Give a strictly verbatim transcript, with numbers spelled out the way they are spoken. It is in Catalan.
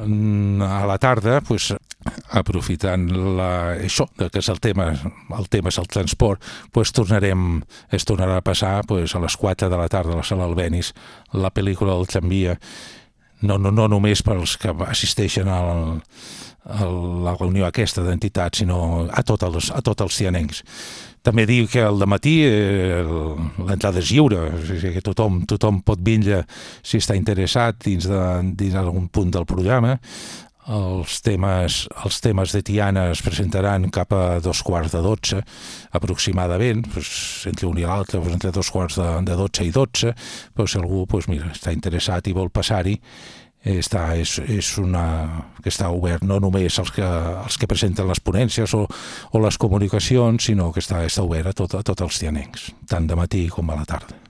A la tarda, pues, aprofitant la, això, que és el tema, el tema és el transport, pues, tornarem, es tornarà a passar pues, a les quatre de la tarda a la sala Albéniz la pel·lícula del tramvia, no, no, no només pels que assisteixen al, a la reunió aquesta d'entitats, sinó a tots els, a tots els cianencs. També dic que al dematí eh, l'entrada és lliure, o sigui que tothom, tothom pot vindre si està interessat dins d'algun punt del programa. Els temes, els temes de Tiana es presentaran cap a dos quarts de dotze, aproximadament, doncs, entre un i l'altre, doncs, entre dos quarts de, de dotze i dotze, doncs, si algú doncs, mira, està interessat i vol passar-hi, està, és, és una, que està obert no només als que, als que presenten les ponències o, o les comunicacions, sinó que està, està obert a, tot, a tots els tianencs, tant de matí com a la tarda.